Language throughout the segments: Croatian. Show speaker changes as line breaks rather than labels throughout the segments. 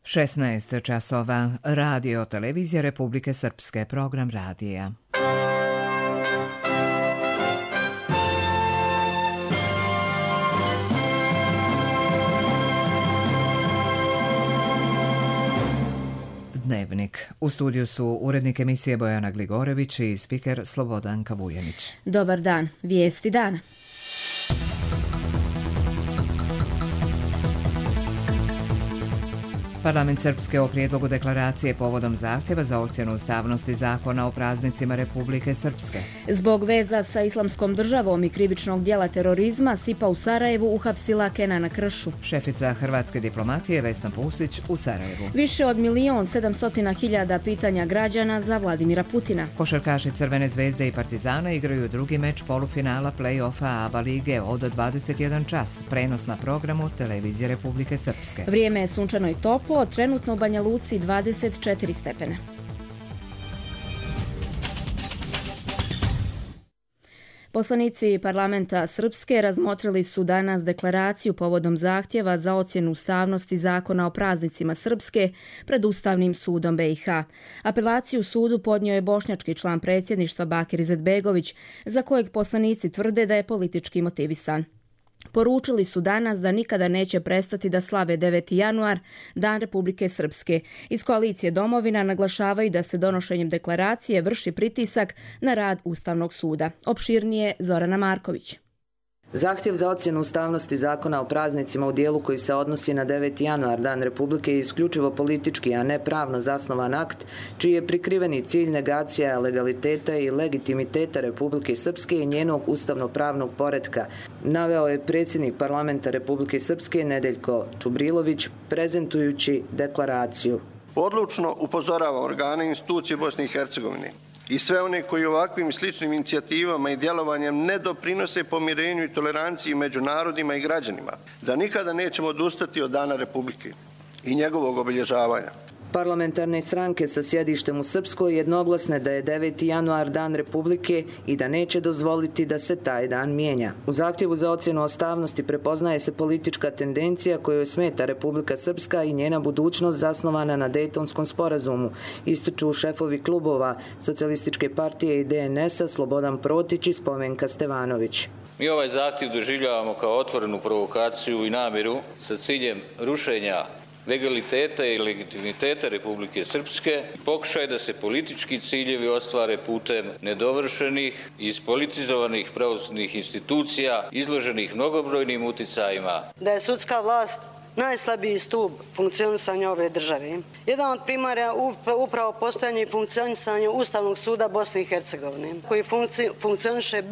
16 časova. Radio televizija Republike Srpske. Program radija. Dnevnik. U studiju su urednik emisije Bojana Gligorević i spiker Slobodanka Vujanić.
Dobar dan. Vijesti dana.
Parlament Srpske o prijedlogu deklaracije povodom zahtjeva za ocjenu ustavnosti zakona o praznicima Republike Srpske.
Zbog veza sa Islamskom državom i krivičnog djela terorizma, SIPA u Sarajevu uhapsila Kenana Kršu.
Šefica hrvatske diplomatije Vesna Pusić u Sarajevu.
Više od 1.700.000 pitanja građana za Vladimira Putina.
Košarkaši Crvene zvezde i Partizana igraju drugi meč polufinala play-offa ABA lige od 21 čas. Prenos na programu Televizije Republike Srpske.
Vrijeme je sunčano i toplo. Trenutno u Banja Luci 24 stepena. Poslanici parlamenta Srpske razmotrili su danas deklaraciju povodom zahtjeva za ocjenu ustavnosti zakona o praznicima Srpske pred Ustavnim sudom BiH. Apelaciju sudu podnio je bošnjački član predsjedništva Bakir Izetbegović, za kojeg poslanici tvrde da je politički motivisan. Poručili su danas da nikada neće prestati da slave 9. januar, Dan Republike Srpske. Iz koalicije Domovina naglašavaju da se donošenjem deklaracije vrši pritisak na rad Ustavnog suda. Opširnije Zorana Marković.
Zahtjev za ocjenu ustavnosti zakona o praznicima u dijelu koji se odnosi na 9. januar, Dan Republike, je isključivo politički, a ne pravno zasnovan akt, čiji je prikriveni cilj negacija legaliteta i legitimiteta Republike Srpske i njenog ustavno-pravnog poretka, naveo je predsjednik parlamenta Republike Srpske Nedeljko Čubrilović prezentujući deklaraciju.
Odlučno upozorava organe i institucije Bosne i Hercegovine i sve one koji ovakvim sličnim inicijativama i djelovanjem ne doprinose pomirenju i toleranciji među narodima i građanima, da nikada nećemo odustati od Dana Republike i njegovog obilježavanja.
Parlamentarne stranke sa sjedištem u Srpskoj jednoglasne da je 9. januar Dan Republike i da neće dozvoliti da se taj dan mijenja. U zahtjevu za ocjenu ustavnosti prepoznaje se politička tendencija kojoj smeta Republika Srpska i njena budućnost zasnovana na Dejtonskom sporazumu, ističu šefovi klubova Socijalističke partije i DNS-a Slobodan Protić i Spomenka Stevanović.
Mi ovaj zahtjev doživljavamo kao otvorenu provokaciju i namjeru sa ciljem rušenja legaliteta i legitimiteta Republike Srpske, pokušaj da se politički ciljevi ostvare putem nedovršenih i ispolitizovanih pravosudnih institucija izloženih mnogobrojnim uticajima.
Da je sudska vlast najslabiji stup funkcionisanja ove države. Jedan od primara upravo postojanje i funkcionisanje Ustavnog suda Bosne i Hercegovine, koji funkcioniše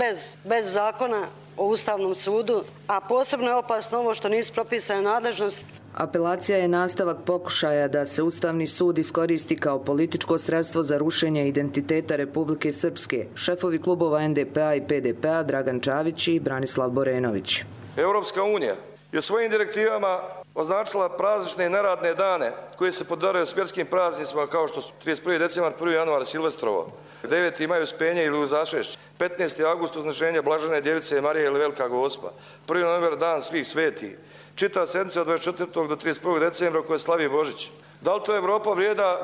bez zakona o Ustavnom sudu, a posebno je opasno ovo što nisu propisane nadležnost.
Apelacija je nastavak pokušaja da se Ustavni sud iskoristi kao političko sredstvo za rušenje identiteta Republike Srpske. Šefovi klubova NDP-a i PDP-a Dragan Čavić i Branislav Borenović.
Europska unija je svojim direktivama označila praznične i neradne dane koje se podaraju s vjerskim praznicima kao što su 31. decembar, 1. januar Silvestrovo, 9. maj Uspenje ili Uzašešće, 15. avgust Uznešenja Blažene Djevice Marije ili Velika Gospa, 1. novembar Dan svih svetih, čita sedmica od 24. do 31. decembra koje slavi Božić. Da li to Evropa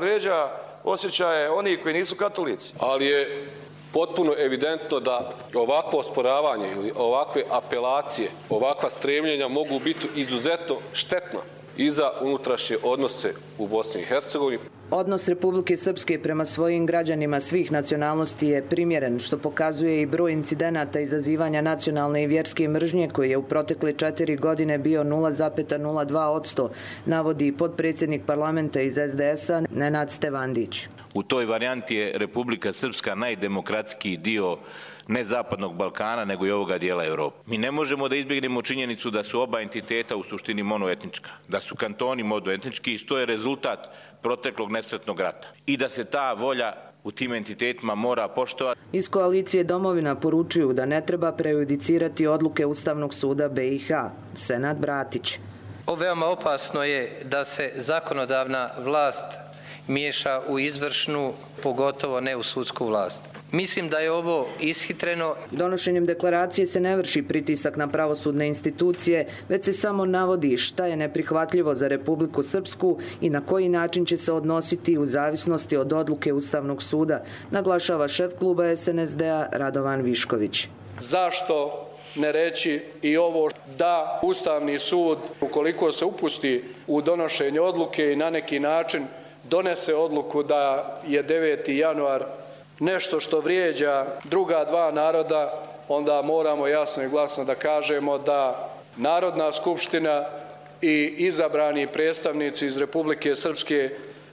vrijeđa osjećaje onih koji nisu katolici?
Ali je potpuno evidentno da ovakvo osporavanje ili ovakve apelacije, ovakva stremljenja mogu biti izuzetno štetna i za unutrašnje odnose u Bosni i Hercegovini.
Odnos Republike Srpske prema svojim građanima svih nacionalnosti je primjeren, što pokazuje i broj incidenata izazivanja nacionalne i vjerske mržnje koji je u protekle 4 godine bio 0,02%, navodi i potpredsjednik parlamenta iz SDS-a Nenad Stevandić.
U toj varijanti je Republika Srpska najdemokratskiji dio ne zapadnog Balkana, nego i ovoga dijela Europe. Mi ne možemo da izbjegnemo činjenicu da su oba entiteta u suštini monoetnička, da su kantoni monoetnički i što je rezultat proteklog nesretnog rata. I da se ta volja u tim entitetima mora poštovati.
Iz koalicije Domovina poručuju da ne treba prejudicirati odluke Ustavnog suda BiH. Senad Bratić.
Veoma opasno je da se zakonodavna vlast miješa u izvršnu, pogotovo ne u sudsku vlast. Mislim da je ovo ishitreno.
Donošenjem deklaracije se ne vrši pritisak na pravosudne institucije, već se samo navodi šta je neprihvatljivo za Republiku Srpsku i na koji način će se odnositi u zavisnosti od odluke Ustavnog suda, naglašava šef kluba SNSD-a Radovan Višković.
Zašto ne reći i ovo da Ustavni sud, ukoliko se upusti u donošenje odluke i na neki način donese odluku da je 9. januar nešto što vrijeđa druga dva naroda, onda moramo jasno i glasno da kažemo da Narodna skupština i izabrani predstavnici iz Republike Srpske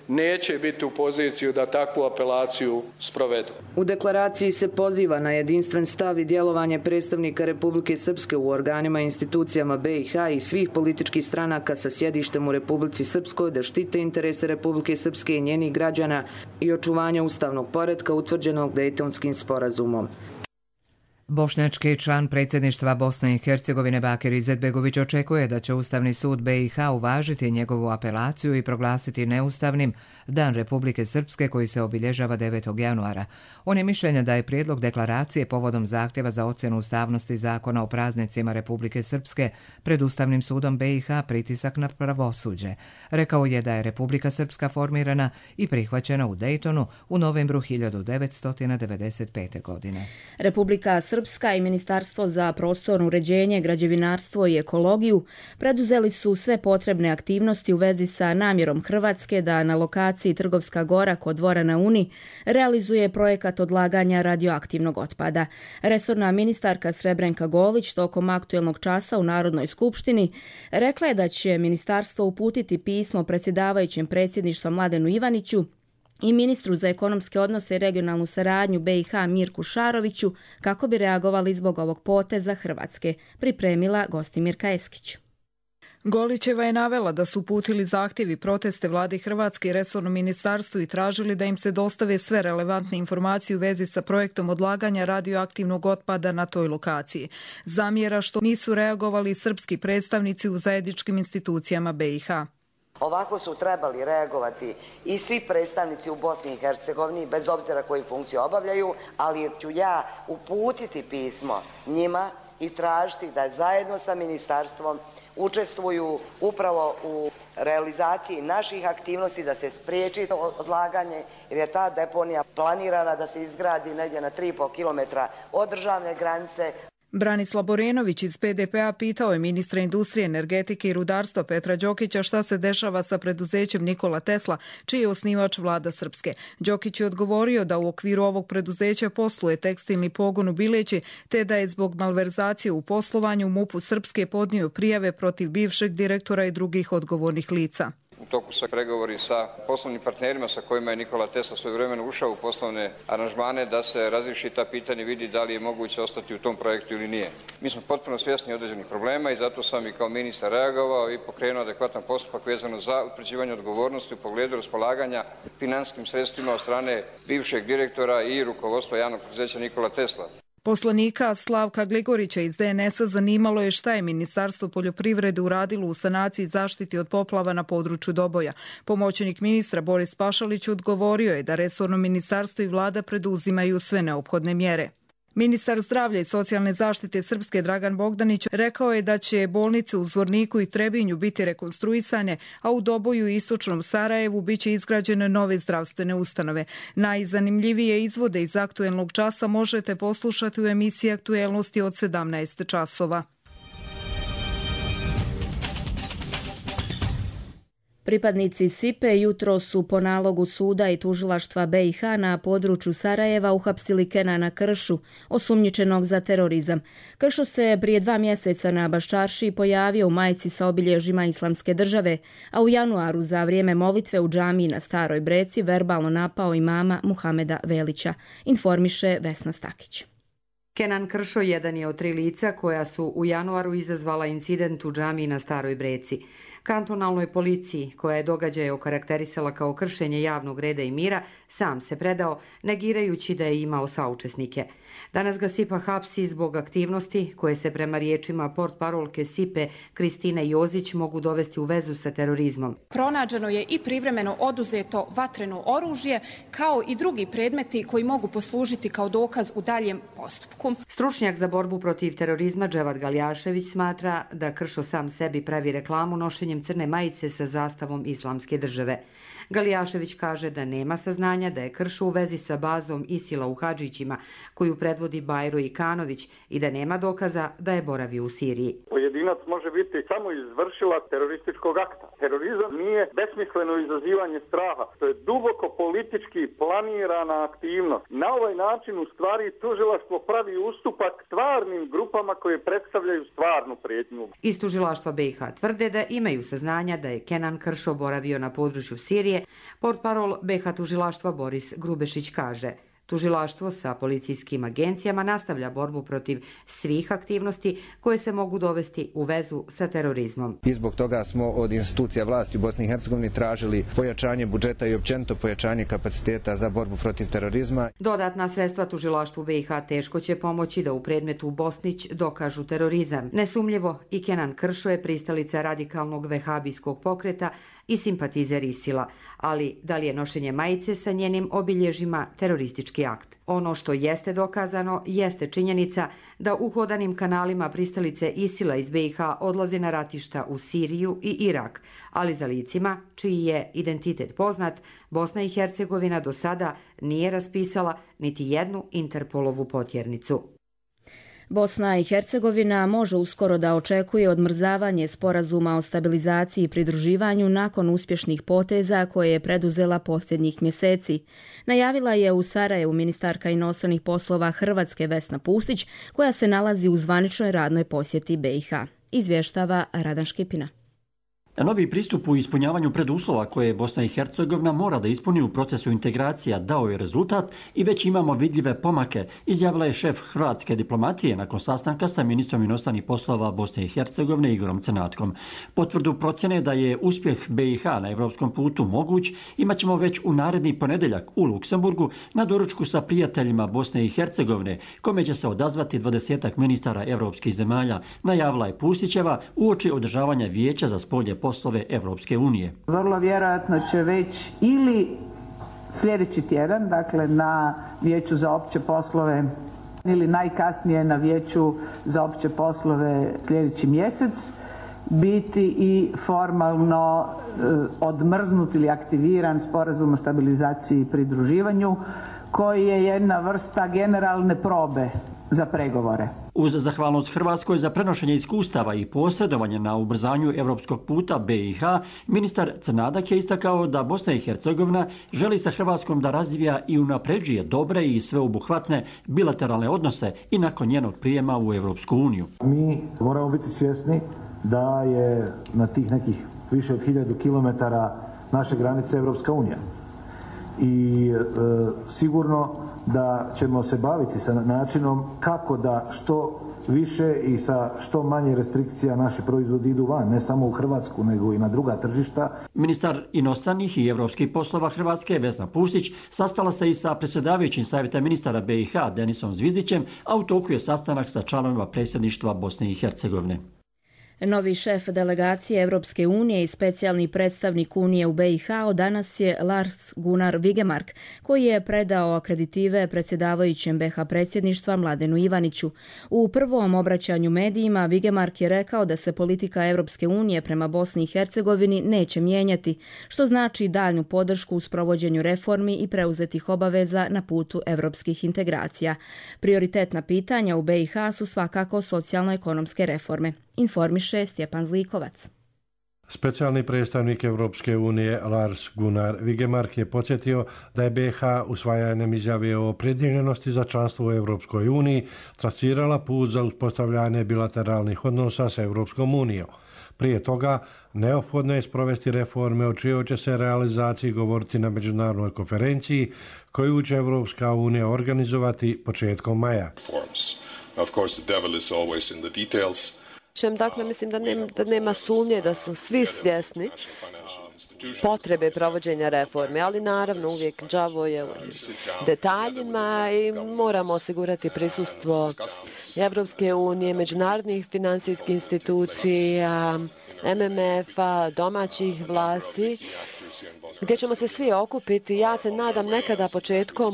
neće biti u poziciju da takvu apelaciju sprovedu.
U deklaraciji se poziva na jedinstven stav i djelovanje predstavnika Republike Srpske u organima i institucijama BiH i svih političkih stranaka sa sjedištem u Republici Srpskoj da štite interese Republike Srpske i njenih građana i očuvanja ustavnog poretka utvrđenog Dejtonskim sporazumom.
Bošnjački član predsjedništva Bosne i Hercegovine Bakir Izetbegović očekuje da će Ustavni sud BiH uvažiti njegovu apelaciju i proglasiti neustavnim Dan Republike Srpske koji se obilježava 9. januara. On je mišljenja da je prijedlog deklaracije povodom zahtjeva za ocjenu ustavnosti zakona o praznicima Republike Srpske pred Ustavnim sudom BiH pritisak na pravosuđe. Rekao je da je Republika Srpska formirana i prihvaćena u Dejtonu u novembru 1995. godine.
Republika Srpska i Ministarstvo za prostorno uređenje, građevinarstvo i ekologiju preduzeli su sve potrebne aktivnosti u vezi sa namjerom Hrvatske da na lokaciji Trgovska gora kod dvora na Uni realizuje projekat odlaganja radioaktivnog otpada. Resorna ministarka Srebrenka Golić tokom aktuelnog časa u Narodnoj skupštini rekla je da će ministarstvo uputiti pismo predsjedavajućem predsjedništva Mladenu Ivaniću i ministru za ekonomske odnose i regionalnu saradnju BiH Mirku Šaroviću kako bi reagovali zbog ovog poteza Hrvatske, pripremila Gostimirka Eskić.
Golićeva je navela da su uputili zahtjevi proteste vladi Hrvatske i resornom ministarstvu i tražili da im se dostave sve relevantne informacije u vezi sa projektom odlaganja radioaktivnog otpada na toj lokaciji. Zamjera što nisu reagovali srpski predstavnici u zajedničkim institucijama BiH.
Ovako su trebali reagovati i svi predstavnici u Bosni i Hercegovini, bez obzira koju funkciju obavljaju, ali ću ja uputiti pismo njima i tražiti da zajedno sa ministarstvom učestvuju upravo u realizaciji naših aktivnosti da se spriječi odlaganje, jer je ta deponija planirana da se izgradi negdje na 3,5 km od državne granice.
Branislav Borenović iz PDP-a pitao je ministra industrije, energetike i rudarstva Petra Đokića šta se dešava sa preduzećem Nikola Tesla, čiji je osnivač vlada Srpske. Đokić je odgovorio da u okviru ovog preduzeća posluje tekstilni pogon u Bileći, te da je zbog malverzacije u poslovanju MUP-u Srpske podnio prijave protiv bivšeg direktora i drugih odgovornih lica.
U toku su pregovori sa poslovnim partnerima sa kojima je Nikola Tesla svojevremeno ušao u poslovne aranžmane da se razriješi ta pitanje i vidi da li je moguće ostati u tom projektu ili nije. Mi smo potpuno svjesni određenih problema i zato sam i kao ministar reagovao i pokrenuo adekvatan postupak vezano za utvrđivanje odgovornosti u pogledu raspolaganja financijskim sredstvima od strane bivšeg direktora i rukovodstva javnog preduzeća Nikola Tesla.
Poslanika Slavka Gligorića iz DNS-a zanimalo je šta je Ministarstvo poljoprivrede uradilo u sanaciji i zaštiti od poplava na području Doboja. Pomoćnik ministra Boris Pašalić odgovorio je da resorno ministarstvo i vlada preduzimaju sve neophodne mjere. Ministar zdravlja i socijalne zaštite Srpske Dragan Bogdanić rekao je da će bolnice u Zvorniku i Trebinju biti rekonstruisane, a u Doboju i istočnom Sarajevu biće izgrađene nove zdravstvene ustanove. Najzanimljivije izvode iz aktuelnog časa možete poslušati u emisiji Aktuelnosti od 17 časova.
Pripadnici SIPE jutro su po nalogu suda i tužilaštva BiH na području Sarajeva uhapsili Kenana Kršu, osumnjičenog za terorizam. Kršo se prije 2 mjeseca na Baščaršiji pojavio u majici sa obilježjima Islamske države, a u januaru za vrijeme molitve u džamiji na Staroj Breci verbalno napao imama Muhameda Velića, informiše Vesna Stakić.
Kenan Kršo jedan je od 3 lica koja su u januaru izazvala incident u džamiji na Staroj Breci. Kantonalnoj policiji, koja je događaje okarakterisala kao kršenje javnog reda i mira, sam se predao, negirajući da je imao saučesnike. Danas ga SIPA hapsi zbog aktivnosti koje se prema riječima portparolke SIPE Kristine Jozić mogu dovesti u vezu sa terorizmom.
Pronađeno je i privremeno oduzeto vatreno oružje, kao i drugi predmeti koji mogu poslužiti kao dokaz u daljem postupku.
Stručnjak za borbu protiv terorizma Dževad Galjašević smatra da Kršo sam sebi pravi reklamu nošenjem crne majice sa zastavom Islamske države. Galjašević kaže da nema saznanja da je Kršo u vezi sa bazom ISIL-a u Hadžićima, koju predvodi Bajro Ikanović, i da nema dokaza da je boravio u Siriji.
Pojedinac može biti samo izvršilac terorističkog akta. Terorizam nije besmisleno izazivanje straha, to je duboko politički planirana aktivnost. Na ovaj način u stvari tužilaštvo pravi ustupak stvarnim grupama koje predstavljaju stvarnu prijetnju.
Iz tužilaštva BiH tvrde da imaju saznanja da je Kenan Kršo boravio na području Sirije. Portparol BiH tužilaštva Boris Grubešić kaže: tužilaštvo sa policijskim agencijama nastavlja borbu protiv svih aktivnosti koje se mogu dovesti u vezu sa terorizmom.
I zbog toga smo od institucija vlasti u Bosni i Hercegovini tražili pojačanje budžeta i općenito pojačanje kapaciteta za borbu protiv terorizma.
Dodatna sredstva tužilaštvu BiH teško će pomoći da u predmetu Bosnić dokažu terorizam. Nesumljivo, i Kenan Kršo je pristalica radikalnog vehabijskog pokreta i simpatizer ISIL-a, ali da li je nošenje majice sa njenim obilježjima teroristički akt? Ono što jeste dokazano jeste činjenica da uhodanim kanalima pristalice ISIL-a iz BiH odlaze na ratišta u Siriju i Irak, ali za licima čiji je identitet poznat, Bosna i Hercegovina do sada nije raspisala niti jednu Interpolovu potjernicu.
Bosna i Hercegovina može uskoro da očekuje odmrzavanje sporazuma o stabilizaciji i pridruživanju nakon uspješnih poteza koje je preduzela posljednjih mjeseci. Najavila je u Sarajevu ministarka inostranih poslova Hrvatske Vesna Pusić, koja se nalazi u zvaničnoj radnoj posjeti BiH. Izvještava Radan Škipina.
Novi pristup u ispunjavanju preduslova koje Bosna i Hercegovina mora da ispuni u procesu integracija dao je rezultat i već imamo vidljive pomake, izjavila je šef hrvatske diplomatije nakon sastanka sa ministrom inostranih poslova Bosne i Hercegovine Igorom Crnatkom. Potvrdu procjene da je uspjeh BiH na evropskom putu moguć imat ćemo već u naredni ponedjeljak u Luksemburgu na doručku sa prijateljima Bosne i Hercegovine, kome će se odazvati 20 ministara evropskih zemalja, najavila je Pusićeva uoči održavanja vijeća za spoljne poslove Evropske unije.
Vrlo vjerojatno će već ili sljedeći tjedan, dakle na vijeću za opće poslove ili najkasnije na vijeću za opće poslove sljedeći mjesec biti i formalno odmrznut ili aktiviran sporazum o stabilizaciji i pridruživanju, koji je jedna vrsta generalne probe za pregovore.
Uz zahvalnost Hrvatskoj za prenošenje iskustava i posredovanje na ubrzanju evropskog puta BiH, ministar Crnadak je istakao da Bosna i Hercegovina želi sa Hrvatskom da razvija i unapređuje dobre i sveobuhvatne bilateralne odnose i nakon njenog prijema u Evropsku uniju.
Mi moramo biti svjesni da je na tih nekih više od 1000 kilometara naše granice Evropska unija. I sigurno da ćemo se baviti sa načinom kako da što više i sa što manje restrikcija naši proizvodi idu van, ne samo u Hrvatsku, nego i na druga tržišta.
Ministar inostranih i evropskih poslova Hrvatske Vesna Pusić sastala se i sa predsjedavajućim savjeta ministara BiH Denisom Zvizdićem, a u toku je sastanak sa članovima predsjedništva Bosne i Hercegovine.
Novi šef delegacije Evropske unije i specijalni predstavnik Unije u BiH od danas je Lars Gunnar Vigemark, koji je predao akreditive predsjedavajućem BiH predsjedništva Mladenu Ivaniću. U prvom obraćanju medijima Vigemark je rekao da se politika Evropske unije prema Bosni i Hercegovini neće mijenjati, što znači daljnju podršku u sprovođenju reformi i preuzetih obaveza na putu evropskih integracija. Prioritetna pitanja u BiH su svakako socijalno-ekonomske reforme. Informiše Stjepan Zlikovac.
Specijalni predstavnik Evropske unije Lars Gunnar Vigemark je podsjetio da je BiH usvajanjem izjave o opredjeljenosti za članstvo u Evropskoj uniji trasirala put za uspostavljanje bilateralnih odnosa s Evropskom unijom. Prije toga, neophodno je sprovesti reforme o čijoj će se realizaciji govoriti na međunarodnoj konferenciji koju će Evropska unija organizovati početkom maja.
Of course, the devil is always in the details.
Dakle, mislim da nema sumnje da su svi svjesni potrebe provođenja reforme, ali naravno uvijek đavo je u detaljima i moramo osigurati prisustvo Evropske unije, međunarodnih finansijskih institucija, MMF-a, domaćih vlasti, gdje ćemo se svi okupiti, ja se nadam nekada početkom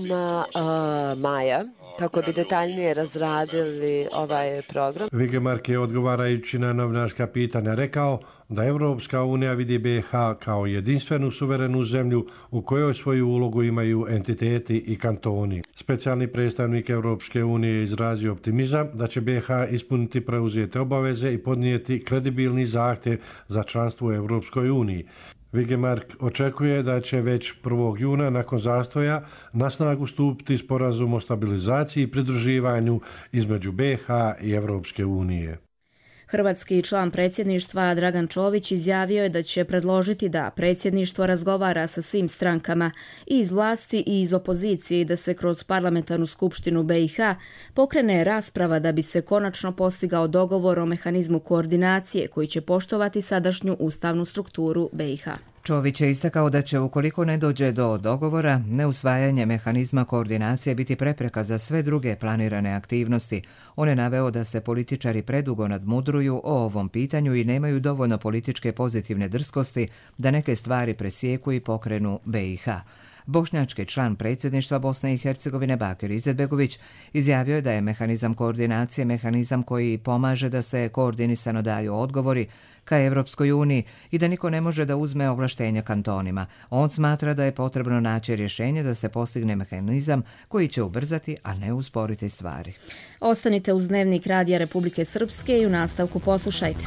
maja, kako bi detaljnije razradili ovaj program.
Vigemark je odgovarajući na novinarska pitanja rekao da Evropska unija vidi BiH kao jedinstvenu suverenu zemlju u kojoj svoju ulogu imaju entiteti i kantoni. Specijalni predstavnik Evropske unije je izrazio optimizam da će BiH ispuniti preuzete obaveze i podnijeti kredibilni zahtjev za članstvo u Evropskoj uniji. Vigemark očekuje da će već 1. juna nakon zastoja na snagu stupiti sporazum o stabilizaciji i pridruživanju između BiH i Evropske unije.
Hrvatski član predsjedništva Dragan Čović izjavio je da će predložiti da predsjedništvo razgovara sa svim strankama i iz vlasti i iz opozicije i da se kroz parlamentarnu skupštinu BiH pokrene rasprava da bi se konačno postigao dogovor o mehanizmu koordinacije koji će poštovati sadašnju ustavnu strukturu BiH.
Čović je istakao da će, ukoliko ne dođe do dogovora, neusvajanje mehanizma koordinacije biti prepreka za sve druge planirane aktivnosti. On je naveo da se političari predugo nadmudruju o ovom pitanju i nemaju dovoljno političke pozitivne drskosti da neke stvari presjeku i pokrenu BiH. Bošnjački član predsjedništva Bosne i Hercegovine Bakir Izetbegović izjavio je da je mehanizam koordinacije mehanizam koji pomaže da se koordinisano daju odgovori ka Evropskoj uniji i da niko ne može da uzme ovlaštenja kantonima. On smatra da je potrebno naći rješenje da se postigne mehanizam koji će ubrzati, a ne usporiti stvari.
Ostanite uz Dnevnik Radija Republike Srpske i u nastavku poslušajte.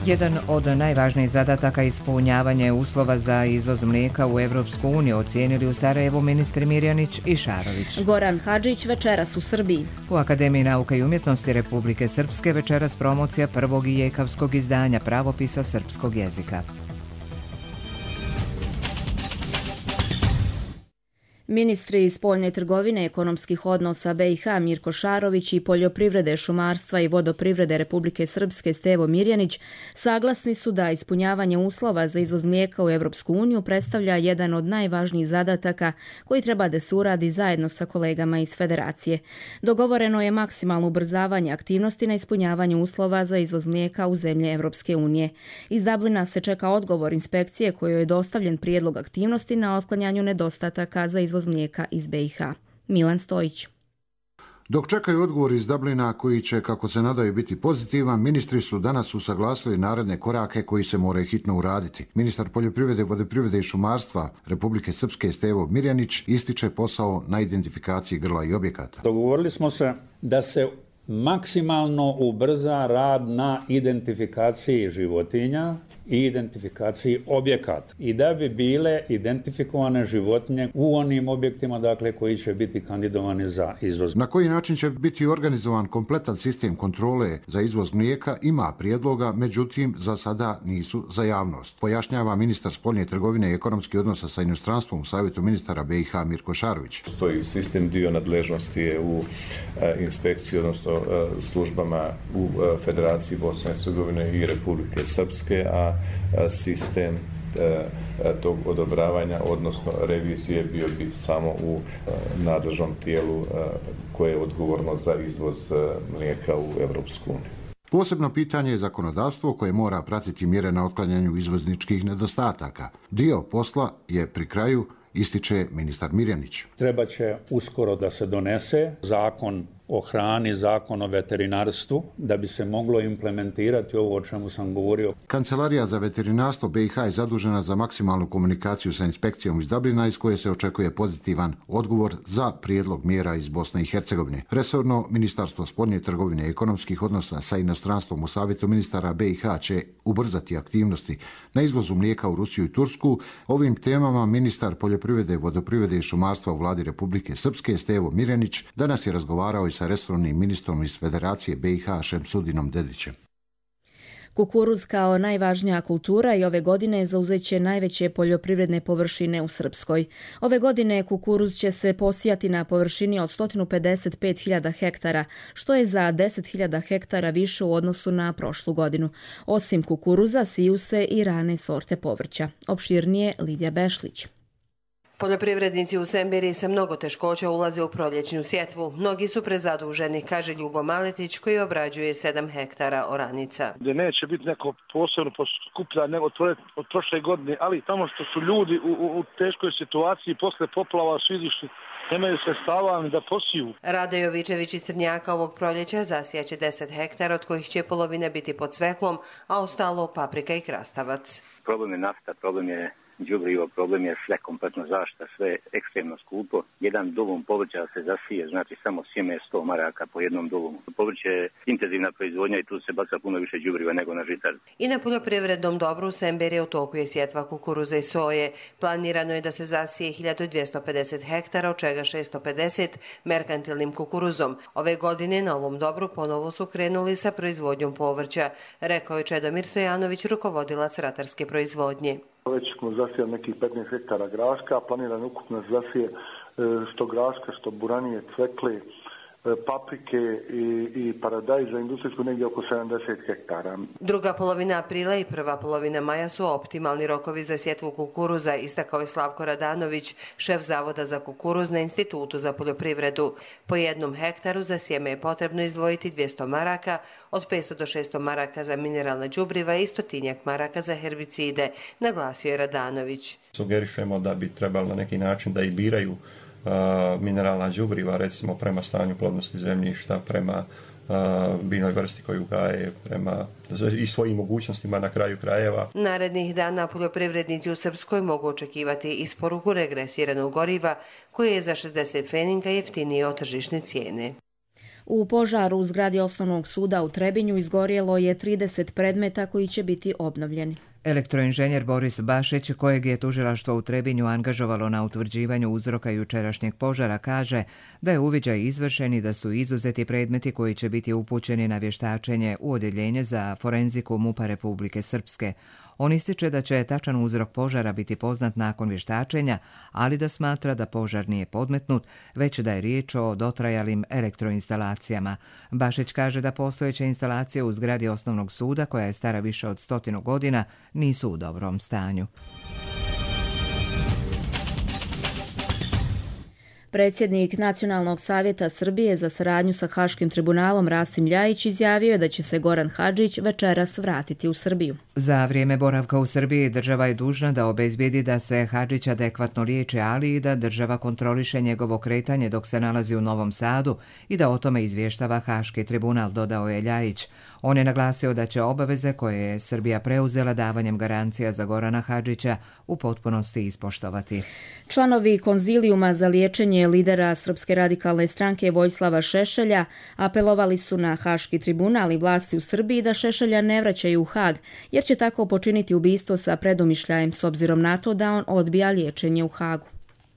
Jedan od najvažnijih zadataka ispunjavanje uslova za izvoz mlijeka u Evropsku uniju ocijenili u Sarajevu ministri Mirjanić i Šarović.
Goran Hadžić večeras u Srbiji.
U Akademiji nauka i umjetnosti Republike Srpske večeras promocija prvog ijekavskog izdanja pravopisa srpskog jezika.
Ministri spoljne trgovine, ekonomskih odnosa BiH Mirko Šarović i poljoprivrede, šumarstva i vodoprivrede Republike Srpske Stevo Mirjanić saglasni su da ispunjavanje uslova za izvoz mlijeka u Evropsku uniju predstavlja jedan od najvažnijih zadataka koji treba da se uradi zajedno sa kolegama iz Federacije. Dogovoreno je maksimalno ubrzavanje aktivnosti na ispunjavanju uslova za izvoz mlijeka u zemlje Evropske unije. Iz Dublina se čeka odgovor inspekcije kojoj je dostavljen prijedlog aktivnosti na otklanjanju nedostataka za izvoz mlijeka iz BiH. Milan Stojić.
Dok čekaju odgovor iz Dublina koji će, kako se nadaju, biti pozitivan, ministri su danas usaglasili naredne korake koji se moraju hitno uraditi. Ministar poljoprivrede, vodoprivrede i šumarstva Republike Srpske Stevo Mirjanić ističe posao na identifikaciji grla i objekata.
Dogovorili smo se da se maksimalno ubrza rad na identifikaciji životinja i identifikaciji objekata i da bi bile identifikovane životinje u onim objektima, dakle, koji će biti kandidovani za izvoz.
Na koji način će biti organizovan kompletan sistem kontrole za izvoz mlijeka ima prijedloga, međutim za sada nisu za javnost. Pojašnjava ministar spoljne trgovine i ekonomskih odnosa sa inostranstvom u Savjetu ministara BiH Mirko Šarović.
Stoji sistem, dio nadležnosti je u inspekciji, odnosno službama u Federaciji Bosne i Hercegovine i Republike Srpske, a sistem tog odobravanja, odnosno revizije, bio bi samo u nadležnom tijelu koje je odgovorno za izvoz mlijeka u Evropsku uniju.
Posebno pitanje je zakonodavstvo koje mora pratiti mjere na otklanjanju izvozničkih nedostataka. Dio posla je pri kraju, ističe ministar Mirjanić.
Treba će uskoro da se donese zakon o hrani, zakon o veterinarstvu, da bi se moglo implementirati ovo o čemu sam govorio.
Kancelarija za veterinarstvo BiH je zadužena za maksimalnu komunikaciju sa inspekcijom iz Dublina, iz koje se očekuje pozitivan odgovor za prijedlog mjera iz Bosne i Hercegovine. Resorno Ministarstvo spoljne trgovine i ekonomskih odnosa sa inostranstvom u Savjetu ministara BiH će ubrzati aktivnosti na izvozu mlijeka u Rusiju i Tursku. Ovim temama ministar poljoprivrede, vodoprivrede i šumarstva u vladi Republike Srpske Stevo Mirjanić danas je razgovarao i sa resornim ministrom iz Federacije BiH Šemsudinom Dedićem.
Kukuruz kao najvažnija kultura i ove godine zauzeće najveće poljoprivredne površine u Srpskoj. Ove godine kukuruz će se posijati na površini od 155.000 hektara, što je za 10.000 hektara više u odnosu na prošlu godinu. Osim kukuruza, siju se i rane sorte povrća. Opširnije Lidija Bešlić.
Poljoprivrednici u Semberiji sa mnogo teškoća ulaze u proljećnu sjetvu. Mnogi su prezaduženi, kaže Ljubo Maletić koji obrađuje 7 hektara oranica.
Gdje neće biti neko posebno poskupljanje od prošle godine, ali tamo što su ljudi u teškoj situaciji posle poplava su izišli, nemaju sredstava ni da posiju.
Rade Jovičević iz Crnjaka ovog proljeća zasijaće 10 hektara, od kojih će polovine biti pod cveklom, a ostalo paprika i krastavac.
Problem je nafta, problem je đubrivo, problem je sve kompletno zašta, sve ekstremno skupo. Jedan dulum povrća se zasije, znači samo sjeme 100 maraka po jednom dulumu. Povrće je intenzivna proizvodnja i tu se baca puno više đubriva nego na žitar.
I na poljoprivrednom dobru u Semberiji u toku je sjetva kukuruza i soje. Planirano je da se zasije 1250 hektara, od čega 650 merkantilnim kukuruzom. Ove godine na ovom dobru ponovo su krenuli sa proizvodnjom povrća, rekao je Čedomir Stojanović, rukovodilac ratarske proizvodnje.
Već smo zasijali nekih 15 hektara graška, planirano ukupno zasije što graška, što buranije, cvekle, paprike i paradajza industrijsku negdje oko 70 hektara.
Druga polovina aprila i prva polovina maja su optimalni rokovi za sjetvu kukuruza, istakao je Slavko Radanović, šef Zavoda za kukuruz na Institutu za poljoprivredu. Po jednom hektaru za sjeme je potrebno izdvojiti 200 maraka, od 500 do 600 maraka za mineralna đubriva i 100 maraka za herbicide, naglasio je Radanović.
Sugerišemo da bi trebalo na neki način da i biraju mineralna đubriva, recimo prema stanju plodnosti zemljišta, prema biljnoj vrsti koju gaje, prema i svojim mogućnostima na kraju krajeva.
Narednih dana poljoprivrednici u Srpskoj mogu očekivati isporuku regresiranog goriva koje je za 60 pfeninga jeftinije od tržišne cijene.
U požaru u zgradi Osnovnog suda u Trebinju izgorjelo je 30 predmeta koji će biti obnovljeni.
Elektroinženjer Boris Bašić, kojeg je tužilaštvo u Trebinju angažovalo na utvrđivanju uzroka jučerašnjeg požara, kaže da je uviđaj izvršen i da su izuzeti predmeti koji će biti upućeni na vještačenje u odjeljenje za forenziku MUP-a Republike Srpske. On ističe da će tačan uzrok požara biti poznat nakon vještačenja, ali da smatra da požar nije podmetnut, već da je riječ o dotrajalim elektroinstalacijama. Bašić kaže da postojeće instalacije u zgradi Osnovnog suda, koja je stara više od 100 godina, nisu u dobrom stanju.
Predsjednik Nacionalnog savjeta Srbije za saradnju sa Haškim tribunalom Rasim Ljajić izjavio je da će se Goran Hadžić večeras vratiti u Srbiju.
Za vrijeme boravka u Srbiji država je dužna da obezbijedi da se Hadžić adekvatno liječi, ali i da država kontroliše njegovo kretanje dok se nalazi u Novom Sadu i da o tome izvještava Haški tribunal, dodao je Ljajić. On je naglasio da će obaveze koje je Srbija preuzela davanjem garancija za Gorana Hadžića u potpunosti ispoštovati.
Članovi konzilijuma za liječenje lidera Srpske radikalne stranke Vojislava Šešelja apelovali su na Haški tribunal i vlasti u Srbiji da Šešelja ne vraćaju u Hag, jer će tako počiniti ubistvo sa predomišljajem s obzirom na to da on odbija liječenje u Hagu.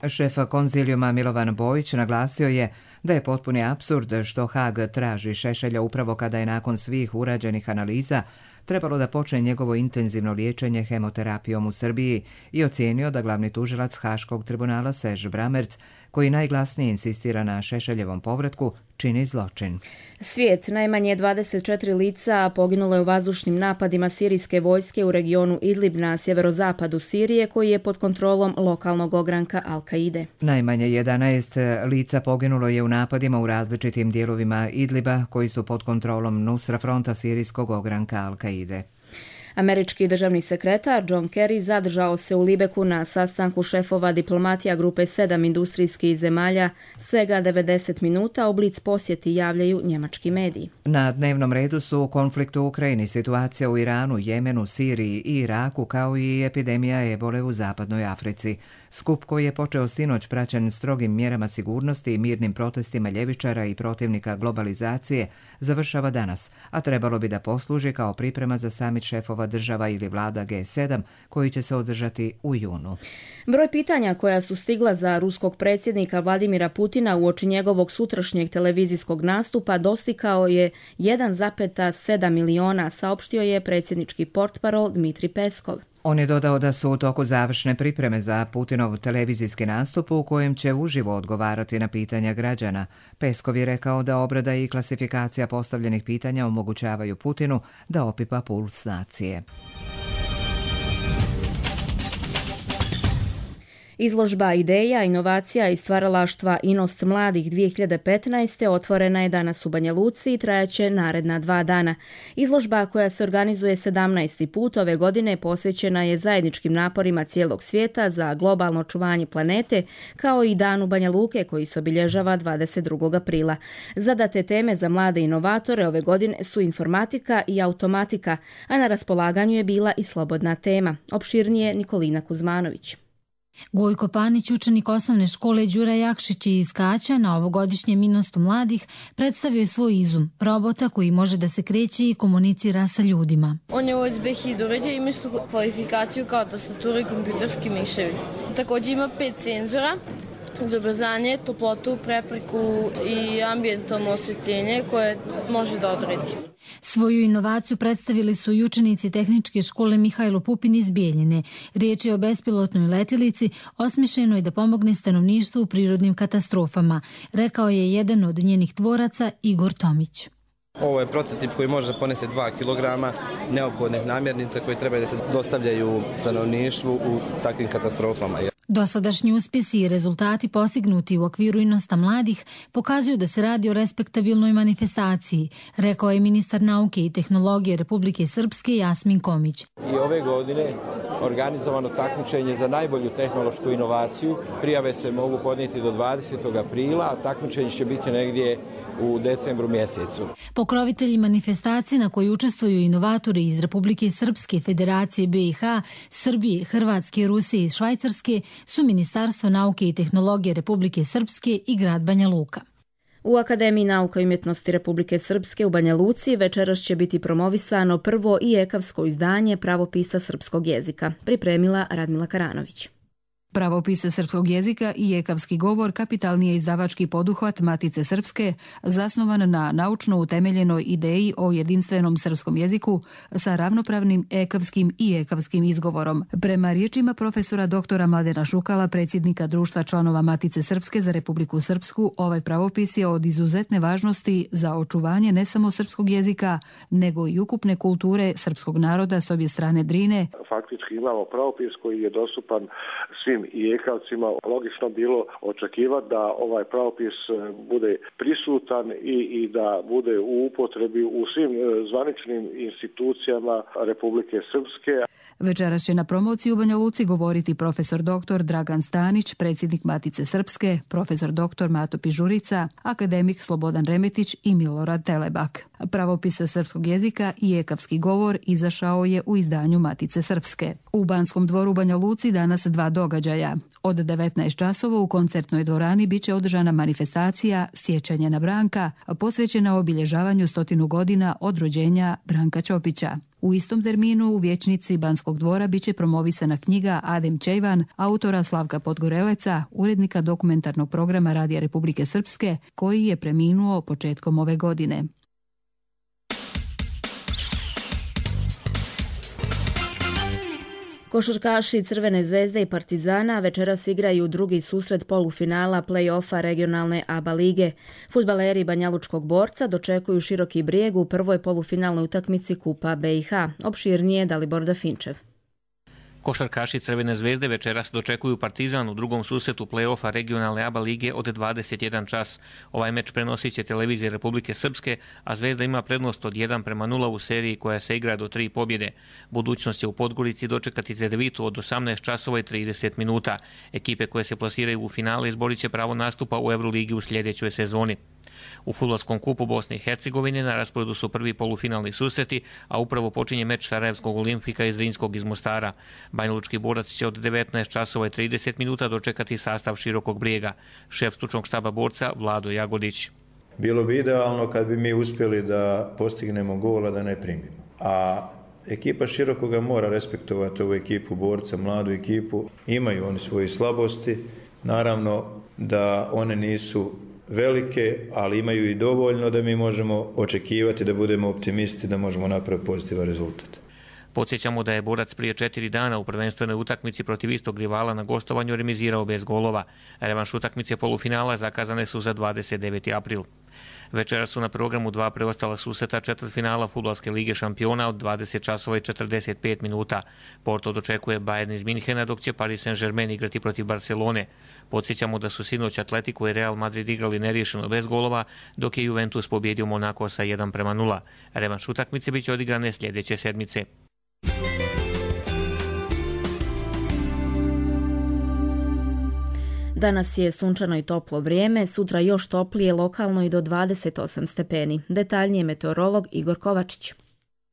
Šef konzilijuma Milovan Bojić naglasio je da je potpuni apsurd što Hag traži Šešelja upravo kada je nakon svih urađenih analiza trebalo da počne njegovo intenzivno liječenje hemoterapijom u Srbiji i ocijenio da glavni tužilac Haškog tribunala Serž Bramerc, koji najglasnije insistira na Šešeljevom povratku, čini zločin.
Svijet, najmanje 24 lica poginulo je u vazdušnim napadima sirijske vojske u regionu Idlib na sjeverozapadu Sirije, koji je pod kontrolom lokalnog ogranka Al-Kaide.
Najmanje 11 lica poginulo je u napadima u različitim dijelovima Idliba, koji su pod kontrolom Nusra fronta sirijskog ogranka Al-Kaide.
Američki državni sekretar John Kerry zadržao se u Libeku na sastanku šefova diplomatija grupe 7 industrijskih zemalja svega 90 minuta, u blic posjeti javljaju njemački mediji.
Na dnevnom redu su konflikt u Ukrajini, situacija u Iranu, Jemenu, Siriji i Iraku, kao i epidemija ebole u zapadnoj Africi. Skup koji je počeo sinoć praćen strogim mjerama sigurnosti i mirnim protestima ljevičara i protivnika globalizacije završava danas, a trebalo bi da posluži kao priprema za samit šefova šefova država ili vlada G7 koji će se održati u junu.
Broj pitanja koja su stigla za ruskog predsjednika Vladimira Putina uoči njegovog sutrašnjeg televizijskog nastupa dostigao je 1,7 miliona, saopštio je predsjednički portparol Dmitri Peskov.
On je dodao da su u toku završne pripreme za Putinov televizijski nastup u kojem će uživo odgovarati na pitanja građana. Peskov je rekao da obrada i klasifikacija postavljenih pitanja omogućavaju Putinu da opipa puls nacije.
Izložba ideja, inovacija i stvaralaštva Inost mladih 2015. otvorena je danas u Banja Luci i trajaće naredna 2 dana. Izložba koja se organizuje 17. put ove godine posvećena je zajedničkim naporima cijelog svijeta za globalno očuvanje planete, kao i danu Banja Luke koji se obilježava 22. aprila. Zadate teme za mlade inovatore ove godine su informatika i automatika, a na raspolaganju je bila i slobodna tema. Opširnije Nikolina Kuzmanović.
Gojko Panić, učenik osnovne škole Đura Jakšić iz Kaća, na ovogodišnjem Inostu mladih predstavio je svoj izum, robota koji može da se kreće i komunicira sa ljudima.
On je USB hid uređaj, ima istu kvalifikaciju kao tastatura i kompjuterski miševi. Također ima 5 senzora za ubrzanje, toplotu, prepreku i ambijentalno osvjetljenje koje može da odredi.
Svoju inovaciju predstavili su i učenici tehničke škole Mihajlo Pupin iz Bijeljine. Riječ je o bespilotnoj letjelici osmišljenoj da pomogne stanovništvu u prirodnim katastrofama, rekao je jedan od njenih tvoraca Igor Tomić.
Ovo je prototip koji može da ponese 2 kg neophodnih namirnica koje treba da se dostavljaju stanovništvu u takvim katastrofama.
Dosadašnji uspjesi i rezultati postignuti u okviru Inosta mladih pokazuju da se radi o respektabilnoj manifestaciji, rekao je ministar nauke i tehnologije Republike Srpske Jasmin Komić.
I ove godine organizovano takmičenje za najbolju tehnološku inovaciju. Prijave se mogu podnijeti do 20. aprila, a takmičenje će biti negdje u decembru mjesecu.
Pokrovitelji manifestacije na kojoj učestvuju inovatori iz Republike Srpske, Federacije BiH, Srbije, Hrvatske, Rusije i Švajcarske su Ministarstvo nauke i tehnologije Republike Srpske i grad Banja Luka.
U Akademiji nauka i umjetnosti Republike Srpske u Banja Luci večeras će biti promovisano prvo i ekavsko izdanje pravopisa srpskog jezika, pripremila Radmila Karanović.
Pravopis srpskog jezika i ekavski govor kapitalni je izdavački poduhvat Matice Srpske, zasnovan na naučno utemeljenoj ideji o jedinstvenom srpskom jeziku sa ravnopravnim ekavskim i ekavskim izgovorom. Prema riječima profesora doktora Mladena Šukala, predsjednika Društva članova Matice Srpske za Republiku Srpsku, ovaj pravopis je od izuzetne važnosti za očuvanje ne samo srpskog jezika, nego i ukupne kulture srpskog naroda s obje strane Drine.
Faktički imamo pravopis koji je dostupan svim i ekavcima. Logično bilo očekivati da ovaj pravopis bude prisutan i da bude u upotrebi u svim zvaničnim institucijama Republike Srpske.
Večeras će na promociji u Banja Luci govoriti profesor dr. Dragan Stanić, predsjednik Matice Srpske, profesor dr. Mato Pižurica, akademik Slobodan Remetić i Milorad Telebak. Pravopis srpskog jezika i ekavski govor izašao je u izdanju Matice Srpske. U Banskom dvoru u Banja Luci danas 2 događaja. Od 19 časova u koncertnoj dvorani biće održana manifestacija Sjećanje na Branka, posvećena obilježavanju 100 godina od rođenja Branka Ćopića. U istom terminu u vijećnici Banskog dvora biće promovisana knjiga Adem Čejvan, autora Slavka Podgoreleca, urednika dokumentarnog programa Radija Republike Srpske, koji je preminuo početkom ove godine.
Košarkaši Crvene zvezde i Partizana večeras igraju drugi susret polufinala play-offa regionalne ABA lige. Fudbaleri Banjalučkog Borca dočekuju Široki Brijeg u prvoj polufinalnoj utakmici Kupa BiH. Opširnije Dalibor Dafinčev.
Košarkaši Crvene zvezde večeras dočekuju Partizan u drugom susretu play-offa regionalne ABA lige od 21 čas. Ovaj meč prenosit će televizija Republike Srpske, a Zvezda ima prednost od 1:0 u seriji koja se igra do 3 pobjede. Budućnost će u Podgorici dočekati Zedevitu od 18 časova i 30 minuta. Ekipe koje se plasiraju u finale izborit će pravo nastupa u Euroligi u sljedećoj sezoni. U fudbalskom kupu Bosne i Hercegovine na rasporedu su prvi polufinalni susreti, a upravo počinje meč Sarajevskog Olimpika i Zrinskog iz Mostara. Banjalučki Borac će od 19 časova i 30 minuta dočekati sastav Širokog Brijega. Šef stručnog štaba Borca Vlado Jagodić.
Bilo bi idealno kad bi mi uspjeli da postignemo gola da ne primimo. A
Ekipa Širokoga mora respektovati ovu ekipu borca, mladu ekipu. Imaju oni svoje slabosti. Naravno da one nisu velike, ali imaju i dovoljno da mi možemo očekivati da budemo optimisti, da možemo napraviti pozitivan rezultat.
Podsjećamo da je Borac prije 4 dana u prvenstvenoj utakmici protiv istog rivala na gostovanju remizirao bez golova. Revanš utakmice polufinala zakazane su za 29. april. Večera su na programu 2 preostala susreta četvrtfinala Fudbalske lige šampiona od 20 časova i 45 minuta. Porto dočekuje Bayern iz Minhena, dok će Paris Saint-Germain igrati protiv Barcelone. Podsjećamo da su sinoć Atletico i Real Madrid igrali neriješeno bez golova, dok je Juventus pobjedio Monako sa 1:0. Revanš utakmice biće odigrane sljedeće sedmice.
Danas je sunčano i toplo vrijeme, sutra još toplije, lokalno i do 28 stepeni. Detaljnije meteorolog Igor Kovačić.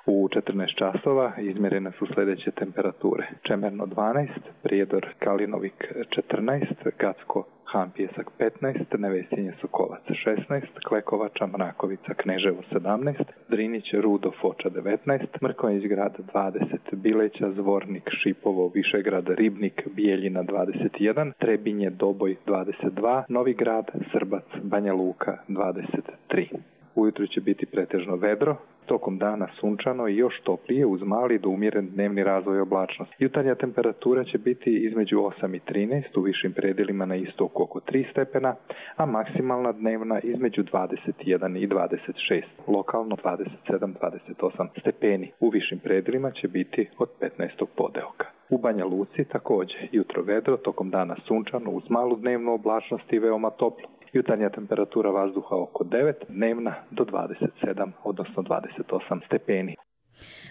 U 14 časova izmjerene su sljedeće temperature. Čemerno 12, Prijedor Kalinovik 14, Gacko Han Pjesak 15, Nevesinje Sokolac 16, Klekovača Mrakovica Kneževo 17, Drinić Rudo Foča 19, Mrkonjić Grad 20, Bileća Zvornik Šipovo Višegrad Ribnik Bijeljina 21, Trebinje Doboj 22, Novi Grad Srbac Banja Luka 23. Ujutro će biti pretežno vedro, tokom dana sunčano i još toplije uz mali do umjeren dnevni razvoj oblačnosti. Jutarnja temperatura će biti između 8 i 13, u višim predjelima na istoku oko 3 stepena, a maksimalna dnevna između 21 i 26, lokalno 27-28 stepeni. U višim predjelima će biti od 15. podeoka. U Banja Luci također jutro vedro, tokom dana sunčano uz malu dnevnu oblačnost i veoma toplo. Jutarnja temperatura vazduha oko 9, dnevna do 27, odnosno 28 stepeni.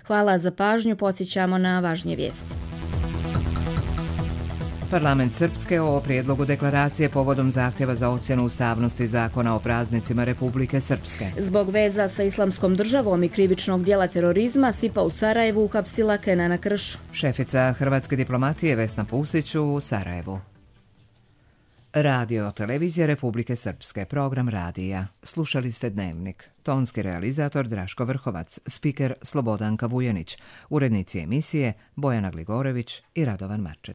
Hvala za pažnju, podsjećamo na važnije vijesti.
Parlament Srpske o prijedlogu deklaracije povodom zahtjeva za ocjenu ustavnosti zakona o praznicima Republike Srpske.
Zbog veza sa Islamskom državom i krivičnog dijela terorizma, SIPA u Sarajevu uhapsila Kenana Krš.
Šefica hrvatske diplomatije Vesna Pusić u Sarajevu. Radio televizija Republike Srpske, program radija. Slušali ste Dnevnik. Tonski realizator Draško Vrhovac, spiker Slobodanka Vujanić, urednici emisije Bojana Gligorević i Radovan Marčet.